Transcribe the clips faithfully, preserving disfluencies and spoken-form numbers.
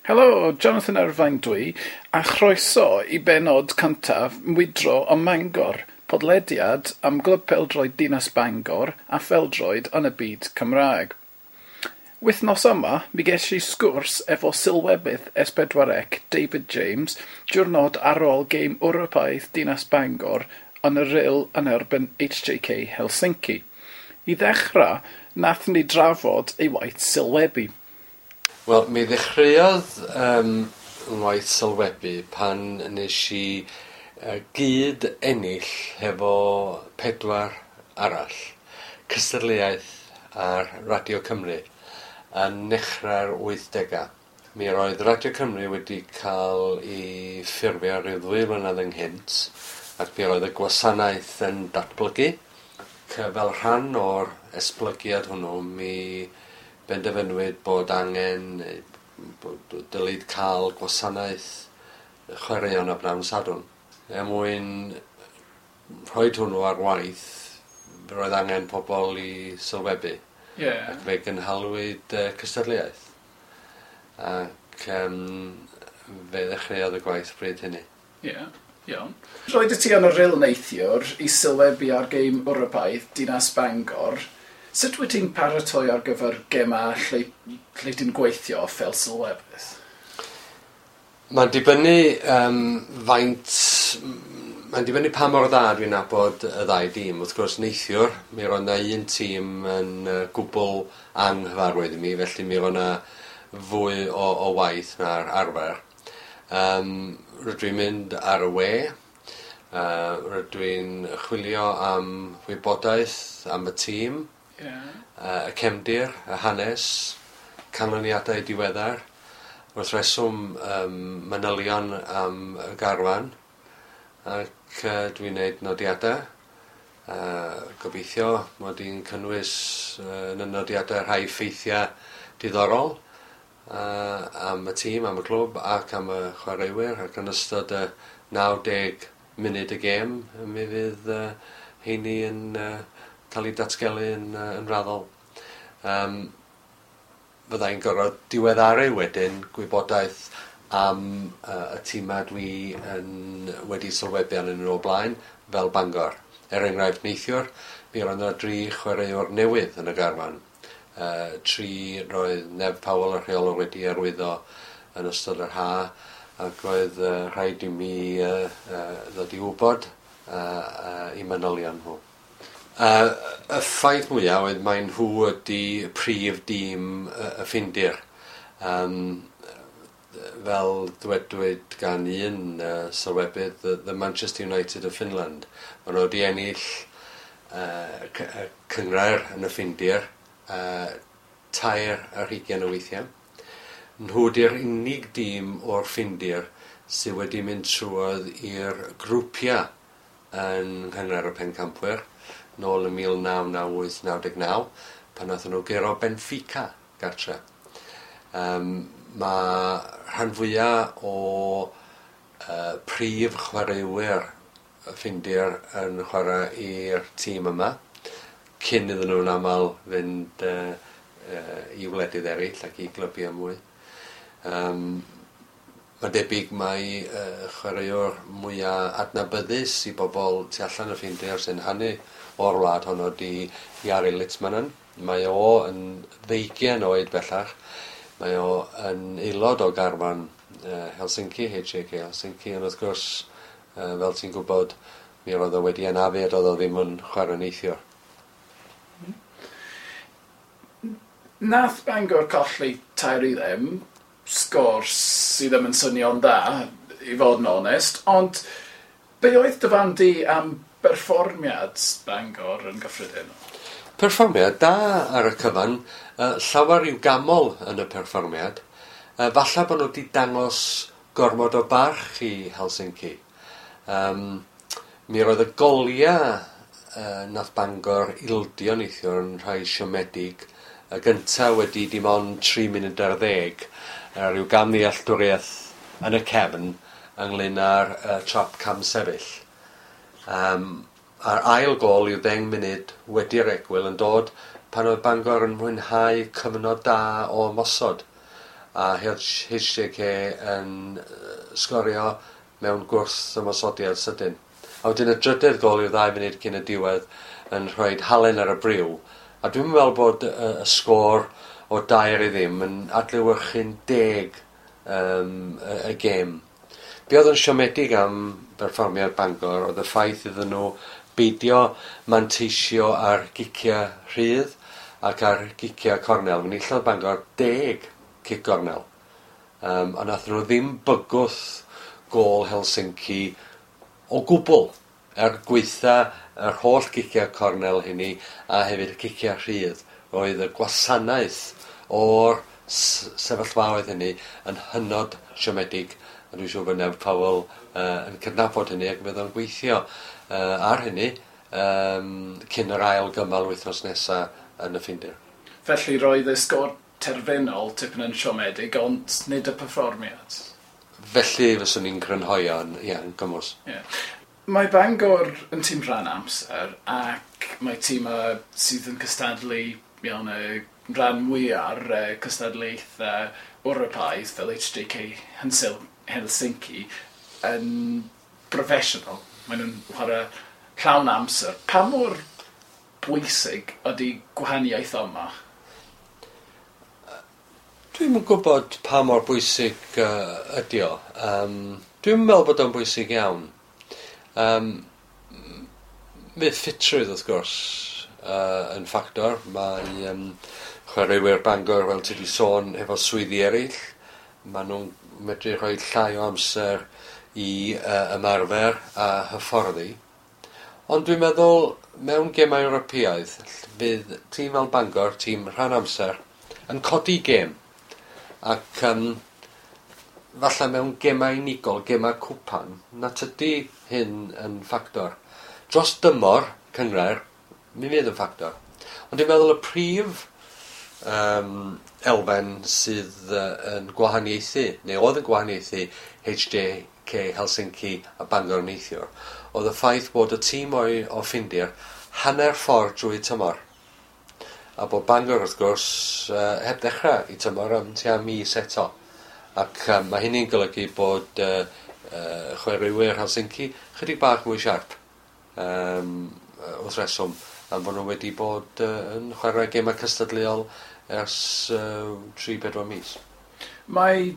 Helo, Jonathan Irvine dwi, a chroeso i bennod cyntaf Mwydro ym Mangor, podlediad am Glwb Pêl-droed Dinas Bangor a phêl-droed yn y byd Cymraeg. Wythnos yma, mi ges i sgwrs efo sylwebydd S pedwar C David James diwrnod ar ôl gêm Ewropeaidd Dinas Bangor yn y Rhyl yn erbyn H J K Helsinki. I ddechrau, nath ni drafod ei waith sylwebu. Wel, mi ddechreuodd um, ngwaith sylwebu pan nes i uh, gyd ennill hefo pedwar arall cystadleuaeth ar Radio Cymru yn nechrau'r wythdegau. Mi roedd Radio Cymru wedi cael ei ffurfio rhyw ddwy flynedd ynghynt ac mi roedd y gwasanaeth yn datblygu. Ac fel rhan o'r esblygiad hwnnw, mi benderfynwyd bod angen, bod dylid cael gwasanaeth chwaraeon a bnawn Sadwrn. Er mwyn rhoi hwnnw ar waith, roedd angen pobl i sylwebu. Yeah. Ac fe gynhalwyd uh, cystadleuaeth. Ac um, fe ddechreuodd y gwaith bryd hynny. Ie, yeah, iawn. Roedd ti yn y Rhyl neithiwr i sylwebu ar gêm Ewropeaidd Dinas Bangor. Sut wyt ti'n paratoi ar gyfer gemau lle, lle ti'n gweithio fel sylwebydd? Mae'n dibynnu um, faint... Mae'n dibynnu pa mor dda dwi'n nabod y ddau dîm. Wrth gwrs, neithiwr, mi roedd 'na un tîm yn uh, gwbl anghyfarwydd i mi, felly mi roedd 'na fwy o, o waith na'r arfer. Um, rydw i'n mynd ar y we, uh, rydw i'n chwilio am wybodaeth am y tîm, yeah. uh, y cefndir, y hanes, canlyniadau diweddar, wrth reswm um, manylion am y garfan, ac uh, dwi'n gwneud nodiadau. Uh, gobeithio mod i'n cynnwys uh, yn y nodiadau rhai ffeithiau diddorol uh, am y tîm, am y clwb ac am y chwaraewyr, ac yn ystod y naw deg munud y gêm mi fydd uh, heini yn uh, cael ei datgelu yn, uh, yn raddol. Um, Fyddai'n gorfod diweddaru wedyn gwybodaeth am uh, y tîmau dwi yn wedi sylwebu arnyn nhw o blaen, fel Bangor. Er enghraifft, neithiwr, mi roedd yna dri chwaraewr newydd yn y garfan. Uh, tri roedd Nev Powell, y rheolwr, wedi arwyddo yn ystod yr ha, ac roedd uh, rhaid i mi uh, uh, ddod i wybod uh, uh, i manylion nhw. Uh, y ffaith mwyaf oedd mai nhw ydy prif dîm y, y Ffindir. Um, fel dywedwyd gan un uh, sylwebydd, the, the Manchester United of Finland. Maen nhw wedi ennill uh, cynghrair yn y Ffindir uh, tair ar hugain o weithiau. Nhw ydy'r unig dîm o'r Ffindir sydd wedi mynd trwodd i'r grwpiau yn Nghynghrair y Pencampwyr nôl yn mil naw naw wyth naw deg naw, pan nathon nhw guro Benfica gartre. Um, mae rhan fwyaf o uh, prif chwaraewyr y Ffindir yn chwarae i'r tîm yma, cyn iddyn nhw'n aml fynd uh, uh, i wledydd eraill ac i glybiau mwy. Um, Mae'n debyg mai uh, chwaraewr mwyaf adnabyddus i bobl tu allan y Ffindir sy'n hanu o'r wlad honno di Jari Litmanen. Mae o yn ddeugain oed bellach. Mae o yn aelod o garfan uh, Helsinki, H J K Helsinki, ond wrth gwrs, uh, fel ti'n gwybod, mi roedd o wedi anafu a doedd o ddim yn chwarae neithiwr. Nath Bangor colli tair i ddim, sgôr sydd ddim yn swnio'n dda, i fod yn onest, ond be oedd dy farn di am berfformiad Bangor yn gyffredinol? Perfformiad da ar y cyfan, uh, llawer i'w gamol yn y perfformiad. Uh, falle bod nhw wedi dangos gormod o barch i Helsinki. Um, mi roedd y goliau uh, nath Bangor ildio neithiwr yn rhai siomedig. Y gyntaf wedi dim ond tri munud ar ddeg, uh, rhyw gamddealltwriaeth yn y cefn ynglyn â'r uh, trap cam sefyll. Um, a'r ail gôl yw ddeng munud wedi'r egwyl yn dod pan oedd Bangor yn mwynhau cyfnod da o ymosod. a H J K yn sgorio mewn gwrth ymosodiad sydyn. A wedyn y drydydd gol i'w ddau munud cyn y diwedd yn rhoi halen ar y briw. A dwi'n meddwl bod y, y sgôr o dair i ddim yn adlewyrchu'n deg um, y, y gêm. Be oedd yn siomedig am berfformiad Bangor oedd y ffaith iddyn nhw beidio manteisio ar giciau rhydd ac ar giciau cornel. Mi enillodd Bangor deg cic gornel. Um, a nath nhw ddim bygwth gôl Helsinki o gwbl er gweitha yr holl giciau cornel hynny a hefyd y ciciau rhydd. Roedd y gwasanaeth o'r sefyllfaoedd hynny yn hynod siomedig. A dwi'n siŵr bod Neb Powell uh, yn cydnabod hynny ac bydd o'n gweithio uh, ar hynny um, cyn yr ail gymal wythnos nesaf yn y Ffindir. Felly roedd y sgôr terfynol tipyn yn siomedig, ond nid y perfformiad. Felly fyswn i'n crynhoi o'n, ie, yn gymwys. Yeah. Mae Bangor yn tîm rhan amser ac mae tîm sydd yn cystadlu iawn y rhan mwyaf ar cystadlaethau Ewropeaidd fel H J K Helsinki yn broffesiynol. Maen nhw'n chwarae llawn amser. Pa mor bwysig ydy gwahaniaeth yma? Dwi'm yn gwybod pa mor bwysig uh, ydy o. Um, dwi'n meddwl bod o'n bwysig iawn. Um, fydd ffitrwydd wrth gwrs uh, yn ffactor. Mae um, chwaraewyr Bangor, fel ti wedi sôn, efo swyddi eraill. Maen nhw'n medru rhoi llai o amser i uh, ymarfer a hyfforddi. Ond dwi'n meddwl mewn gemau Ewropeaidd fydd tîm fel Bangor, tîm rhan amser, yn codi gêm. Ac um, falle mewn gemau unigol, gemau cwpan, na tydi hyn yn ffactor. Dros dymor cynghrair, mi fydd yn ffactor. Ond dwi'n meddwl y prif um, elfen sydd uh, yn gwahaniaethu, neu oedd yn gwahaniaethu H J K Helsinki a Bangor neithiwr, oedd y ffaith bod y tîm o'i, o Ffindir hanner ffordd drwy tymor. A bod Bangor, wrth gwrs, uh, heb ddechrau i tymor am tua mis eto. Ac um, mae hynny'n golygu bod uh, uh, chwaraewyr Helsinki chydig bach mwy siarp um, wrth reswm, am bod nhw wedi bod uh, yn chwarae gemau cystadleuol ers uh, tri bedwar mis. Mae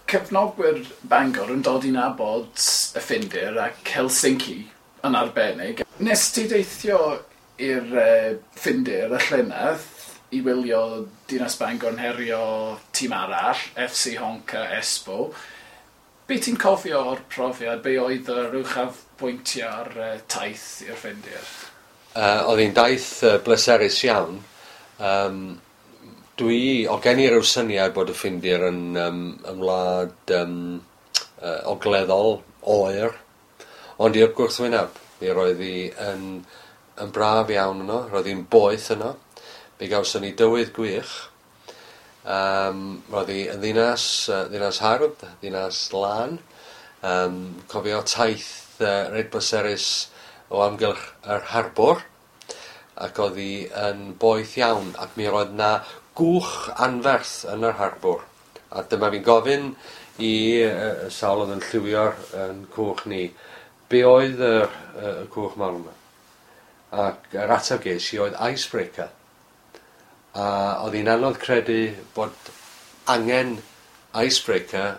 cefnogwyr Bangor yn dod i nabod y Ffindir ac Helsinki yn arbennig. Nes ti deithio i'r uh, Ffindir y llynedd i wylio Dinas Bangor yn herio tîm arall, F C Honka Espoo. Be ti'n cofio o'r profiad? Be oedd yr uchafbwyntiau ar uh, taith i'r Ffindir? Uh, oedd hi'n daith uh, bleserus iawn. Um, dwi, o gen i ryw syniad bod y Ffindir yn, um, yn wlad um, uh, ogleddol, oer, ond i'r gwrthwyneb. Mi roedd hi yn, yn braf iawn yno, roedd hi'n boeth yno. Mi gawson ni dywydd gwych. Um, roedd hi yn ddinas, uh, ddinas hardd, ddinas lân. Um, cofio taith uh, reit bleserus o amgylch yr harbwr, ac oedd hi yn boeth iawn, ac mi roedd na gwch anferth yn yr harbwr. A dyma fi'n gofyn i uh, sawl oedd yn lliwio'r yn cwch ni, be oedd y, y, y cwch mawr yma? Ac yr ateb ges i oedd icebreaker. A oedd hi'n anodd credu bod angen icebreaker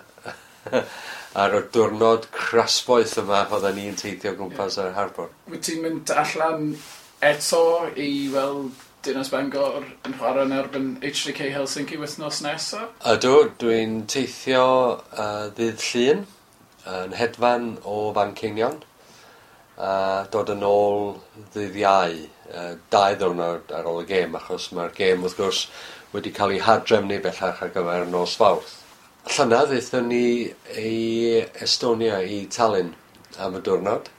ar y diwrnod crasboeth yma oedden ni'n teithio gwmpas yr harbwr. Wyt ti'n mynd allan eto i weld Dinas Bangor yn chwarae yn erbyn H J K Helsinki wythnos nesaf? Ydw, dwi'n teithio uh, ddydd Llun yn hedfan o Fanceinion a dod yn ôl ddydd Iau, uh, dau ddiwrnod ar ôl y gêm, achos mae'r gêm wrth gwrs wedi cael ei hadrefnu bellach ar gyfer nos Fawrth. Llynedd aethon ni i Estonia, i Tallinn am y diwrnod.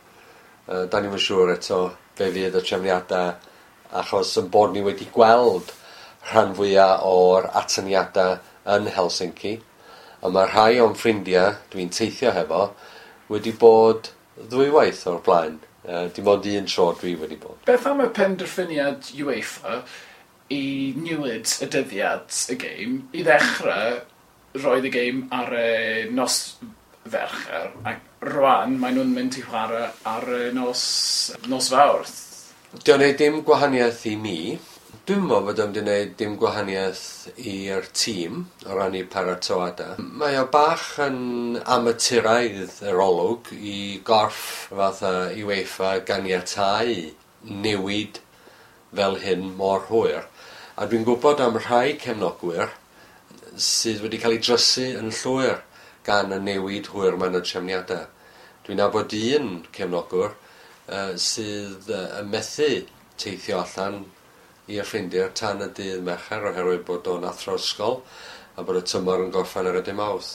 Uh, da ni'm yn siŵr eto be fydd y trefniadau, achos yn bod ni wedi gweld rhan fwyaf o'r atyniadau yn Helsinki, a mae rhai o'n ffrindiau dwi'n teithio hefo wedi bod ddwywaith o'r blaen. Uh, dim ond un tro dwi wedi bod. Beth am y penderfyniad UEFA i newid y dyddiad y gêm i ddechrau Roedd y gêm ar y nos Fercher, ac rwan maen nhw'n mynd i chwarae ar y nos, nos Fawrth. Di o'n neud dim gwahaniaeth i mi. Dwi'n meddwl bod o'n wedi gwneud dim gwahaniaeth i'r tîm o ran eu paratoadau. Mae o bach yn amaturaidd yr olwg i gorff fatha UEFA ganiatáu newid fel hyn mor hwyr. A dwi'n gwybod am rhai cefnogwyr sydd wedi cael ei drysu yn llwyr gan y newid hwyr mewn y trefniadau. Dwi'n nabod un cefnogwr uh, sydd uh, yn methu teithio allan i'r Ffindir tan y dydd Mercher oherwydd bod o'n athro ysgol a bod y tymor yn gorffen ar y dydd Mawrth.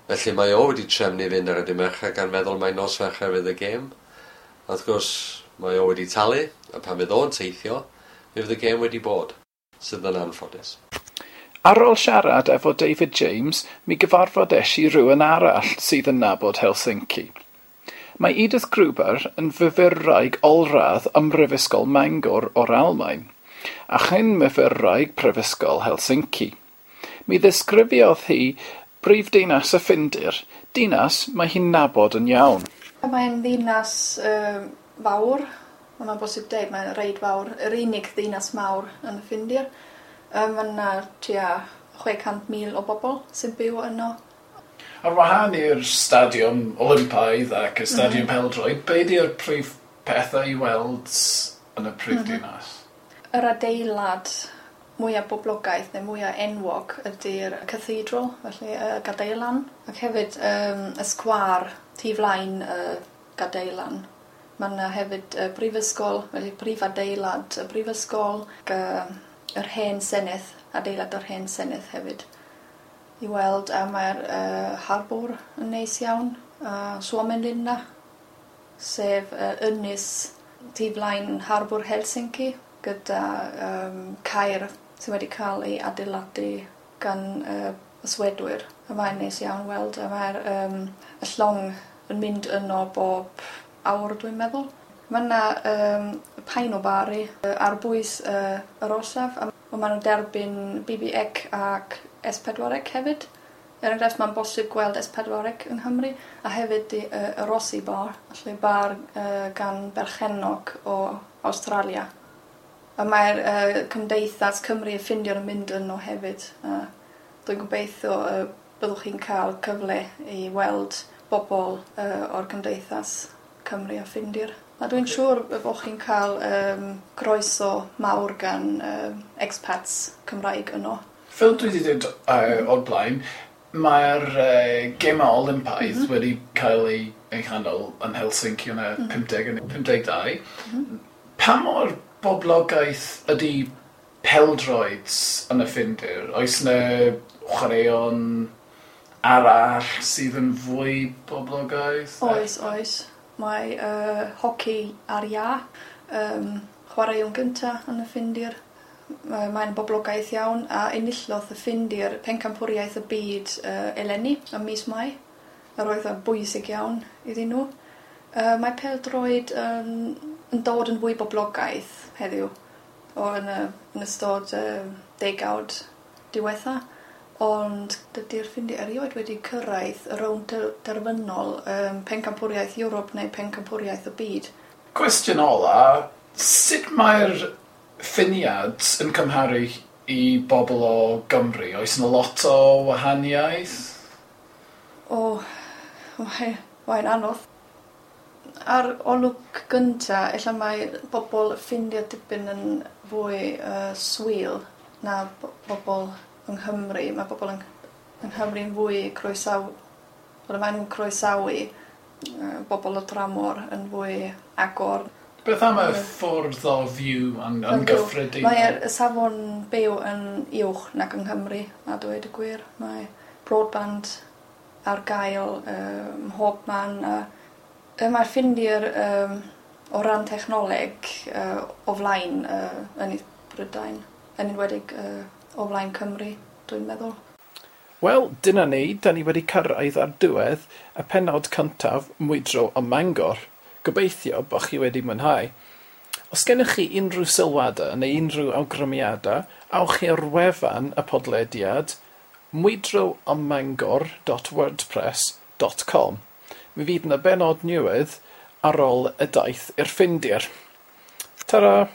Felly mae o wedi trefnu fynd ar y dydd Mercher gan feddwl mai nos Fercher fydd y gêm. A wrth gwrs mae o wedi talu a pan fydd o'n teithio mi fydd y gêm wedi bod, sydd yn anffodus. Ar ôl siarad efo David James, mi gyfarfod-es i rywun arall sydd yn nabod Helsinki. Mae Edith Gruber yn fyfyrwraig olradd ym Mhrifysgol Mangor o'r Almaen, a chyn myfyrwraig Prifysgol Helsinki. Mi ddisgrifiodd hi brifddinas y Ffindir, dinas mae hi'n nabod yn iawn. Mae'n ddinas uh, fawr, mae'n bosib dweud, mae'n reit fawr, yr unig ddinas mawr yn y Ffindir. Um, mae yna tua chwe chant mil o bobl sy'n byw yno. Ar wahân i'r stadiwm Olympaidd ac y stadiwm mm -hmm. pêl-droed, be di'r prif pethau i weld yn y prif mm -hmm. dinas? Yr adeilad mwyaf boblogaidd neu mwyaf enwog ydy'r cathedral, felly y Gadeilan. Ac hefyd um, y sgwâr tu flaen y Gadeilan. Mae yna hefyd y brifysgol, felly prif adeilad y brifysgol, ac uh, yr hen senedd, adeilad yr hen senedd hefyd i weld, a mae'r uh, harbwr yn neis iawn, a Suomenlinna, sef uh, ynys tu flaen harbwr Helsinki, gyda um, caer sydd wedi cael ei adeiladu gan uh, y Swedwyr. A mae'n neis iawn weld, a mae'r um, y llong yn mynd yno bob awr, dwi'n meddwl. Mae yna um, Paino-baari ar bwys uh, yr orsaf, a maen nhw'n derbyn B B C ac S pedwar C hefyd. Er enghraifft, mae'n bosib gweld S pedwar C yng Nghymru, a hefyd y, y Rossi Bar, felly bar uh, gan berchennog o Australia. A mae'r uh, Cymdeithas Cymru y Ffindir yn mynd yno hefyd. Uh, dwi'n gobeithio uh, byddwch chi'n cael cyfle i weld bobl uh, o'r Cymdeithas Cymru a Ffindir. A dwi'n siŵr bod chi'n cael um, croeso mawr gan um, expats Cymraeg yno. Fel dwi wedi dweud uh, o'r blaen, mae'r uh, gemau Olympaidd mm -hmm. wedi cael ei, ei chanol yn Helsinki yn y mm -hmm. pumdeg yn pumdeg dau. Mm -hmm. Pa mor boblogaeth ydy pêl-droed yn y Ffindir? Oes yna chwaraeon arall sydd yn fwy boblogaidd? Oes, oes. Mae uh, hoci ar iâ, um, chwaraeon gyntaf yn y Ffindir. Mae'n boblogaeth iawn a enillodd y Ffindir pencampwriaeth y byd uh, eleni ym mis Mai. Yr oedd yn bwysig iawn iddyn nhw. Uh, mae pêl-droed yn, yn dod yn fwy boblogaidd heddiw o yn, y, yn ystod uh, degawd diwetha. Ond dydy'r Ffindir erioed wedi cyrraedd y rownd derfynol um, pencampwriaeth Ewrop neu pencampwriaeth y byd. Cwestiwn ola, sut mae'r Ffiniad yn cymharu i bobl o Gymru? Oes yna lot o wahaniaeth? O, mae, mae'n anodd. Ar olwg gynta, ella mae bobl Ffindir dipyn yn fwy uh, swil na bobl yng Nghymru. Mae bobl yng, yng Nghymru yn fwy croesaw... Wel, maen nhw'n croesawu uh, bobl o dramor yn fwy agor. Beth am y ffordd o fyw yn, yn gyffredinol? Mae'r safon byw yn uwch nag yng Nghymru, a dweud y gwir. Mae broadband ar gael um, mhob man. A, mae'r Ffindir um, o ran technoleg uh, o flaen uh, yn Brydain, yn enwedig uh, o flaen Cymru, dwi'n meddwl. Wel, dyna ni, da ni wedi cyrraedd ar diwedd y pennod cyntaf Mwydro ym Mangor. Gobeithio bod chi wedi mwynhau. Os gennych chi unrhyw sylwadau neu unrhyw awgrymiadau, awch chi ar wefan y podlediad mwydroammangor dot wordpress dot com. Mi fydd yna bennod newydd ar ôl y daith i'r Ffindir. Ta-ra!